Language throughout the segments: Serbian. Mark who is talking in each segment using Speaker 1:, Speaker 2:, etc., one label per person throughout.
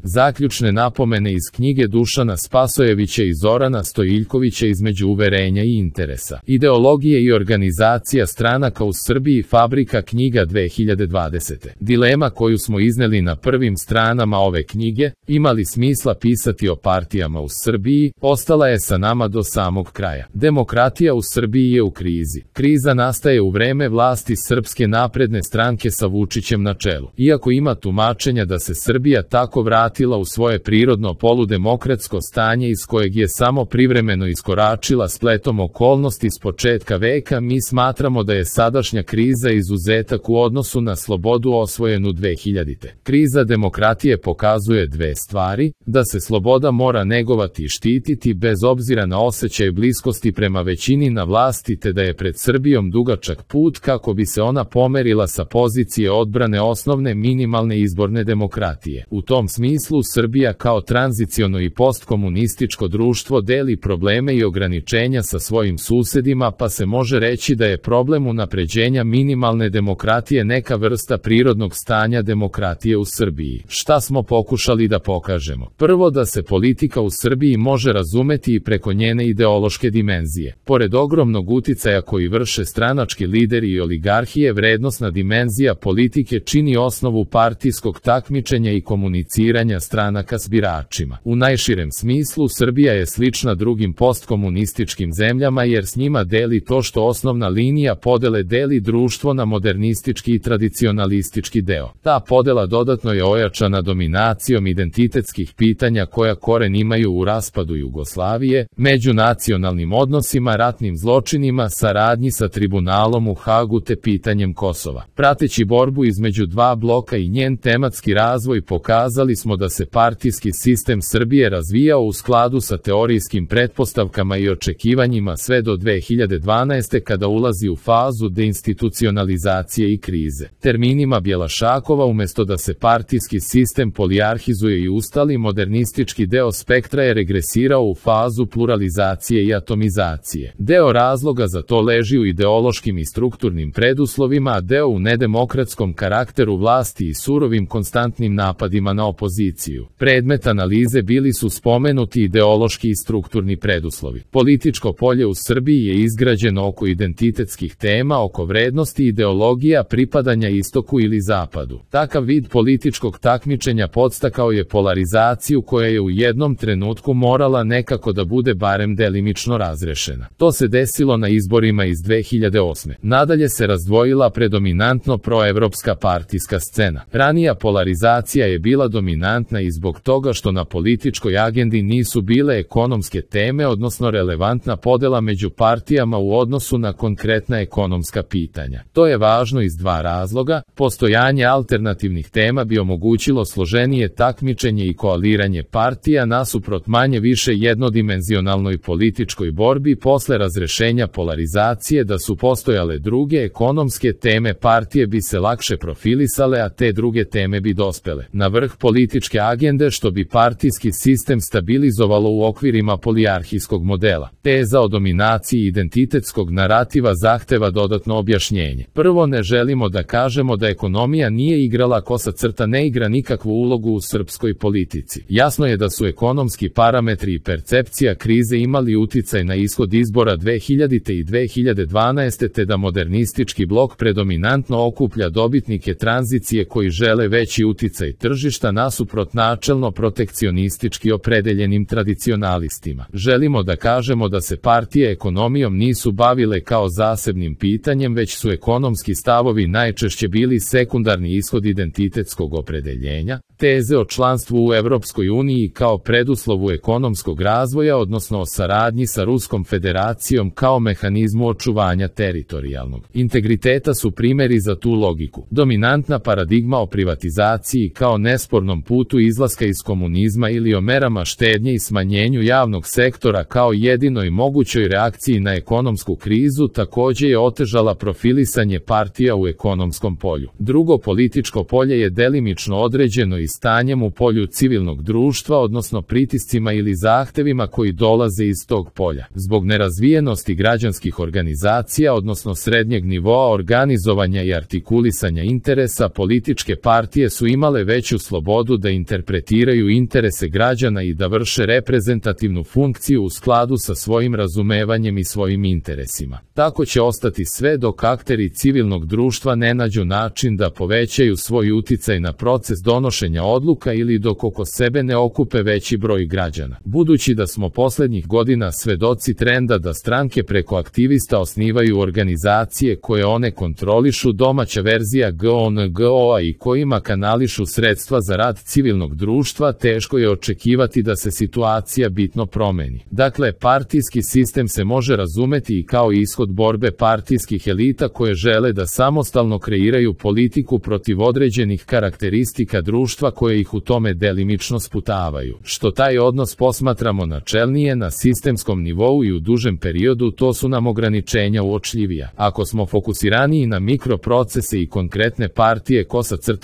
Speaker 1: Zaključne napomene iz knjige Dušana Spasojevića i Zorana Stojiljkovića Između uverenja i interesa. Ideologije i organizacija stranaka u Srbiji. Fabrika knjiga 2020. Dilema koju smo izneli na prvim stranama ove knjige, ima li smisla pisati o partijama u Srbiji, ostala je sa nama do samog kraja. Demokratija u Srbiji je u krizi. Kriza nastaje u vreme vlasti Srpske napredne stranke sa Vučićem na čelu. Iako ima tumačenja da se Srbija tako vratila u svoje prirodno poludemokratsko stanje iz kojeg je samo privremeno iskoračila spletom okolnosti s početka veka, mi smatramo da je sadašnja kriza izuzetak u odnosu na slobodu osvojenu 2000. Kriza demokratije pokazuje dve stvari: da se sloboda mora negovati i štititi bez obzira na osjećaj bliskosti prema većini na vlasti, te da je pred Srbijom dugačak put kako bi se ona pomerila sa pozicije odbrane osnovne minimalne izborne demokratije. U tom smislu Srbija kao tranziciono i postkomunističko društvo deli probleme i ograničenja sa svojim susedima, pa se može reći da je problem unapređenja minimalne demokratije neka vrsta prirodnog stanja demokratije u Srbiji. Šta smo pokušali da pokažemo? Prvo, da se politika u Srbiji može razumeti i preko njene ideološke dimenzije. Pored ogromnog uticaja koji vrše stranački lideri i oligarhije, vrednosna dimenzija politike čini osnovu partijskog takmičenja i komuniciranja stranaka s biračima. U najširem smislu Srbija je slična drugim postkomunističkim zemljama jer s njima deli to što osnovna linija podele deli društvo na modernistički i tradicionalistički deo. Ta podela dodatno je ojačana dominacijom identitetskih pitanja koja koren imaju u raspadu Jugoslavije, međunacionalnim odnosima, ratnim zločinima, saradnji sa tribunalom u Hagu te pitanjem Kosova. Prateći borbu između dva bloka i njen tematski razvoj, pokazali smo da se partijski sistem Srbije razvijao u skladu sa teorijskim pretpostavkama i očekivanjima sve do 2012. kada ulazi u fazu deinstitucionalizacije i krize. Terminima Bjelašakova, umesto da se partijski sistem polijarhizuje i ustali, modernistički deo spektra je regresirao u fazu pluralizacije i atomizacije. Deo razloga za to leži u ideološkim i strukturnim preduslovima, a deo u nedemokratskom karakteru vlasti i surovim konstantnim napadima na opoziciju. Predmet analize bili su spomenuti ideološki i strukturni preduslovi. Političko polje u Srbiji je izgrađeno oko identitetskih tema, oko vrednosti i ideologija pripadanja istoku ili zapadu. Takav vid političkog takmičenja podstakao je polarizaciju koja je u jednom trenutku morala nekako da bude barem delimično razrešena. To se desilo na izborima iz 2008. Nadalje se razdvojila predominantno proevropska partijska scena. Ranija polarizacija je bila dominantna i zbog toga što na političkoj agendi nisu bile ekonomske teme, odnosno relevantna podela među partijama u odnosu na konkretna ekonomska pitanja. To je važno iz dva razloga: postojanje alternativnih tema bi omogućilo složenije takmičenje i koaliranje partija nasuprot manje više jednodimenzionalnoj političkoj borbi. Posle razrešenja polarizacije, da su postojale druge ekonomske teme, partije bi se lakše profilisale, a te druge teme bi dospele na vrh političke agende, što bi partijski sistem stabilizovalo u okvirima polijarhijskog modela. Teza o dominaciji identitetskog narativa zahteva dodatno objašnjenje. Prvo, ne želimo da kažemo da ekonomija nije igrala, kosa crta ne igra nikakvu ulogu u srpskoj politici. Jasno je da su ekonomski parametri i percepcija krize imali uticaj na ishod izbora 2000. i 2012. te da modernistički blok predominantno okuplja dobitnike tranzicije koji žele veći uticaj tržišta nasuprot načelno protekcionistički opredeljenim tradicionalistima. Želimo da kažemo da se partije ekonomijom nisu bavile kao zasebnim pitanjem, već su ekonomski stavovi najčešće bili sekundarni ishod identitetskog opredeljenja. Teze o članstvu u Evropskoj uniji kao preduslovu ekonomskog razvoja, odnosno o saradnji sa Ruskom federacijom kao mehanizmu očuvanja teritorijalnog integriteta su primjeri za tu logiku. Dominantna paradigma o privatizaciji kao nespornom putu izlaska iz komunizma ili o merama štednje i smanjenju javnog sektora kao jedinoj mogućoj reakciji na ekonomsku krizu takođe je otežala profilisanje partija u ekonomskom polju. Drugo političko polje je delimično određeno i stanjem u polju civilnog društva, odnosno pritiscima ili zahtevima koji dolaze iz tog polja. Zbog nerazvijenosti građanskih organizacija, odnosno srednjeg nivoa organizovanja i artikulisanja interesa, političke partije su imale veću slobodu da da interpretiraju interese građana i da vrše reprezentativnu funkciju u skladu sa svojim razumevanjem i svojim interesima. Tako će ostati sve dok akteri civilnog društva ne nađu način da povećaju svoj uticaj na proces donošenja odluka ili dok oko sebe ne okupe veći broj građana. Budući da smo poslednjih godina svedoci trenda da stranke preko aktivista osnivaju organizacije koje one kontrolišu, domaća verzija GONGO-a i kojima kanališu sredstva za rad civilnog društva, teško je očekivati da se situacija bitno promeni. Dakle, partijski sistem se može razumeti i kao ishod borbe partijskih elita koje žele da samostalno kreiraju politiku protiv određenih karakteristika društva koje ih u tome delimično sputavaju. Što taj odnos posmatramo načelnije na sistemskom nivou i u dužem periodu, to su nam ograničenja uočljivija. Ako smo fokusiraniji na mikroprocese i konkretne partije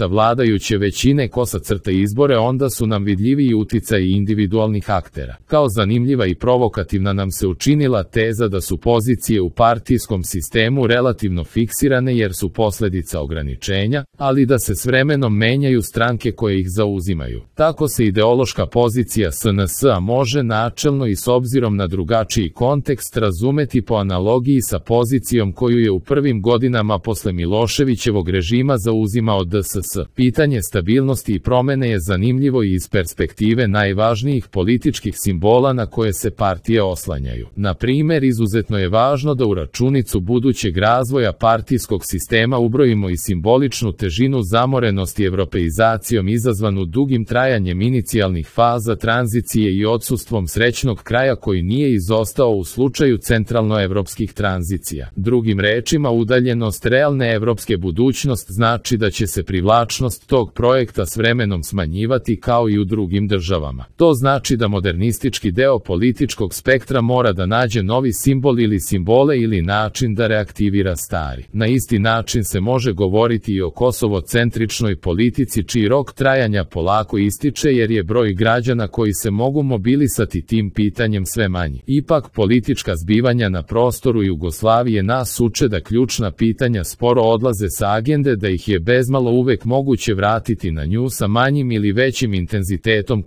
Speaker 1: vladajuće većine izbore, onda su nam vidljiviji uticaji individualnih aktera. Kao zanimljiva i provokativna nam se učinila teza da su pozicije u partijskom sistemu relativno fiksirane jer su posledica ograničenja, ali da se s vremenom menjaju stranke koje ih zauzimaju. Tako se ideološka pozicija SNS-a može načelno i s obzirom na drugačiji kontekst razumeti po analogiji sa pozicijom koju je u prvim godinama posle Miloševićevog režima zauzimao DSS. Pitanje stabilnosti i promene je zanimljivo i iz perspektive najvažnijih političkih simbola na koje se partije oslanjaju. Na primer, izuzetno je važno da u računicu budućeg razvoja partijskog sistema ubrojimo i simboličnu težinu zamorenosti evropeizacijom izazvanu dugim trajanjem inicijalnih faza tranzicije i odsustvom srećnog kraja koji nije izostao u slučaju centralnoevropskih tranzicija. Drugim rečima, udaljenost realne evropske budućnost znači da će se privlačnost tog projekta s vremenom smanjivati kao i u drugim državama. To znači da modernistički deo političkog spektra mora da nađe novi simbol ili simbole ili način da reaktivira stari. Na isti način se može govoriti i o kosovocentričnoj politici čiji rok trajanja polako ističe jer je broj građana koji se mogu mobilisati tim pitanjem sve manji. Ipak politička zbivanja na prostoru Jugoslavije nas uče da ključna pitanja sporo odlaze sa agende, da ih je bezmalo uvek moguće vratiti na nju sa manjim ili većim intenzitetom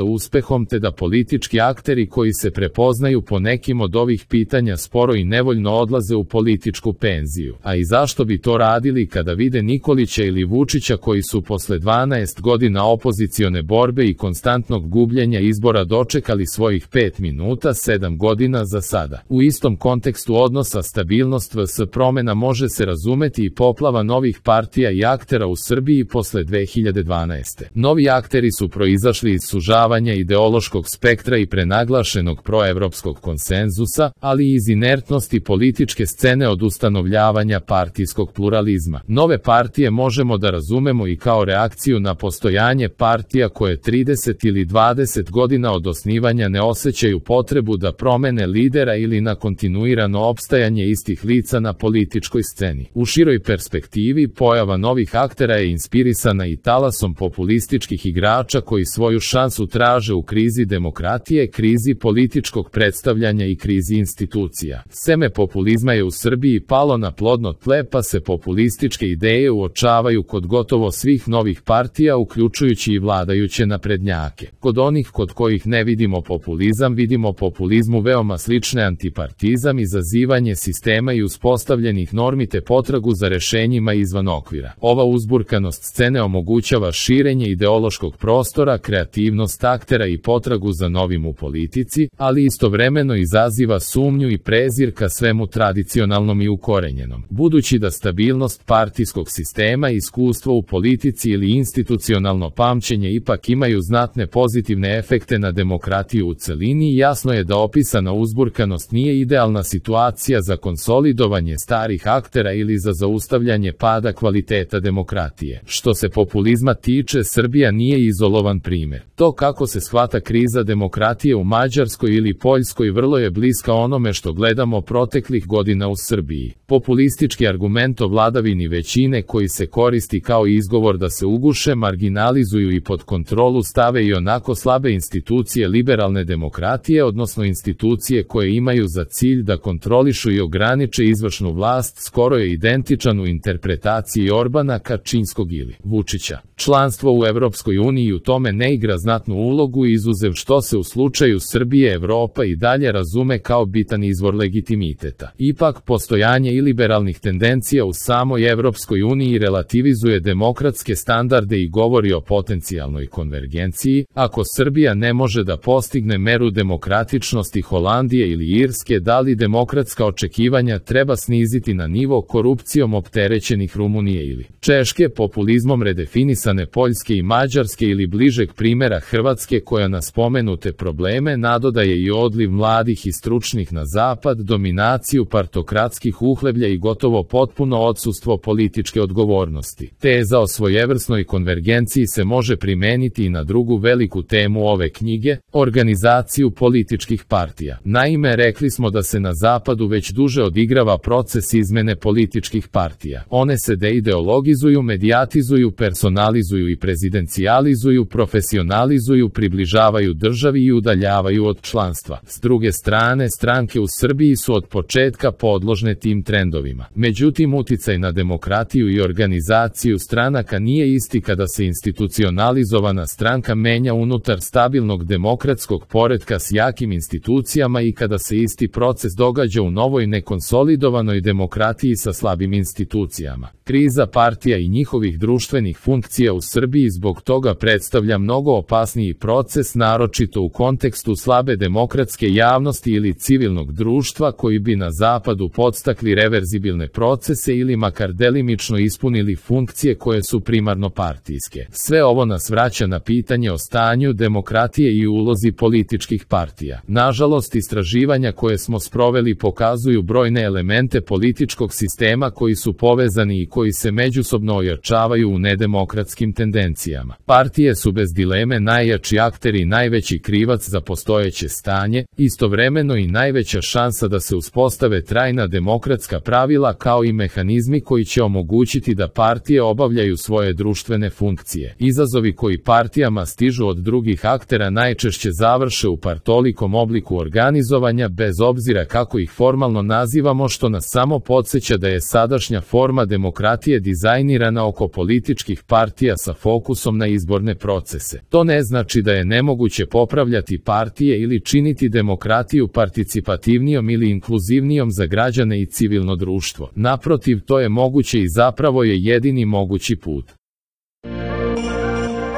Speaker 1: uspehom, te da politički akteri koji se prepoznaju po nekim od ovih pitanja sporo i nevoljno odlaze u političku penziju. A i zašto bi to radili kada vide Nikolića ili Vučića koji su posle 12 godina opozicione borbe i konstantnog gubljenja izbora dočekali svojih 5 minuta 7 godina za sada. U istom kontekstu odnosa stabilnost vs promena može se razumeti i poplava novih partija i aktera u Srbiji posle 2012. Novi akteri su proizašli iz sužavanja ideološkog spektra i prenaglašenog proevropskog konsenzusa, ali i iz inertnosti političke scene od ustanovljavanja partijskog pluralizma. Nove partije možemo da razumemo i kao reakciju na postojanje partija koje 30 ili 20 godina od osnivanja ne osjećaju potrebu da promene lidera ili na kontinuirano opstajanje istih lica na političkoj sceni. U široj perspektivi, pojava novih aktera je inspirisana i talasom populističkih igrača koji svoju šansu traže u krizi demokratije, krizi političkog predstavljanja i krizi institucija. Seme populizma je u Srbiji palo na plodno tle, pa se populističke ideje uočavaju kod gotovo svih novih partija, uključujući i vladajuće naprednjake. Kod onih kod kojih ne vidimo populizam, vidimo populizmu veoma slične antipartizam, izazivanje sistema i uspostavljenih normi te potragu za rešenjima izvan okvira. Ova uzburkanost scene omogućava širenje ideološkog prostora, kreativnost aktera i potragu za novim u politici, ali istovremeno izaziva sumnju i prezir ka svemu tradicionalnom i ukorenjenom. Budući da stabilnost partijskog sistema, iskustvo u politici ili institucionalno pamćenje ipak imaju znatne pozitivne efekte na demokratiju u celini, jasno je da opisana uzburkanost nije idealna situacija za konsolidovanje starih aktera ili za zaustavljanje pada kvaliteta demokratije. Što se populizma tiče, Srbija nije izolovan primer. To kako se shvata kriza demokratije u Mađarskoj ili Poljskoj vrlo je bliska onome što gledamo proteklih godina u Srbiji. Populistički argument o vladavini većine koji se koristi kao izgovor da se uguše, marginalizuju i pod kontrolu stave i onako slabe institucije liberalne demokratije, odnosno institucije koje imaju za cilj da kontrolišu i ograniče izvršnu vlast, skoro je identičan u interpretaciji Orbana, Kačinskog ili Vučića. Članstvo u Evropskoj uniji u tome ne igra znatnu ulogu, izuzev što se u slučaju Srbije Evropa i dalje razume kao bitan izvor legitimiteta. Ipak, postojanje iliberalnih tendencija u samoj Evropskoj uniji relativizuje demokratske standarde i govori o potencijalnoj konvergenciji. Ako Srbija ne može da postigne meru demokratičnosti Holandije ili Irske, da li demokratska očekivanja treba sniziti na nivo korupcijom opterećenih Rumunije ili Češke, populizmom redefinisane Poljske i Mađarske ili bližeg primera Hrvatske koja na spomenute probleme nadodaje i odliv mladih i stručnih na zapad, dominaciju partokratskih uhleblja i gotovo potpuno odsustvo političke odgovornosti. Teza o svojevrsnoj konvergenciji se može primeniti i na drugu veliku temu ove knjige, organizaciju političkih partija. Naime, rekli smo da se na zapadu već duže odigrava proces izmene političkih partija. One se deideologizuju, medijatizuju, personalizuju i prezidencijalizuju, profesionalizuju, približavaju državi i udaljavaju od članstva. S druge strane, stranke u Srbiji su od početka podložne tim trendovima. Međutim, uticaj na demokratiju i organizaciju stranaka nije isti kada se institucionalizovana stranka menja unutar stabilnog demokratskog poretka s jakim institucijama i kada se isti proces događa u novoj nekonsolidovanoj demokratiji sa slabim institucijama. Kriza partija i njihovih društvenih funkcija u Srbiji zbog toga predstavlja mnogo opasniji proces, naročito u kontekstu slabe demokratske javnosti ili civilnog društva koji bi na zapadu podstakli reverzibilne procese ili makar delimično ispunili funkcije koje su primarno partijske. Sve ovo nas vraća na pitanje o stanju demokratije i ulozi političkih partija. Nažalost, istraživanja koje smo sproveli pokazuju brojne elemente političkog sistema koji su povezani i koji se međusobno ojačavaju u nedemokratskim tendencijama. Partije su bez dileme najjači akter i najveći krivac za postojeće stanje, istovremeno i najveća šansa da se uspostave trajna demokratska pravila kao i mehanizmi koji će omogućiti da partije obavljaju svoje društvene funkcije. Izazovi koji partijama stižu od drugih aktera najčešće završe u partolikom obliku organizovanja bez obzira kako ih formalno nazivamo, što nas samo podsjeća da je sadašnja forma demokratije dizajnirana oko političkih partija sa fokusom na izborne procese. To ne znači da je nemoguće popravljati partije ili činiti demokratiju participativnijom ili inkluzivnijom za građane i civilno društvo. Naprotiv, to je moguće i zapravo je jedini mogući put.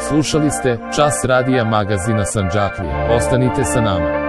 Speaker 1: Slušali ste Čas radija magazina Sandžaklija. Ostanite sa nama.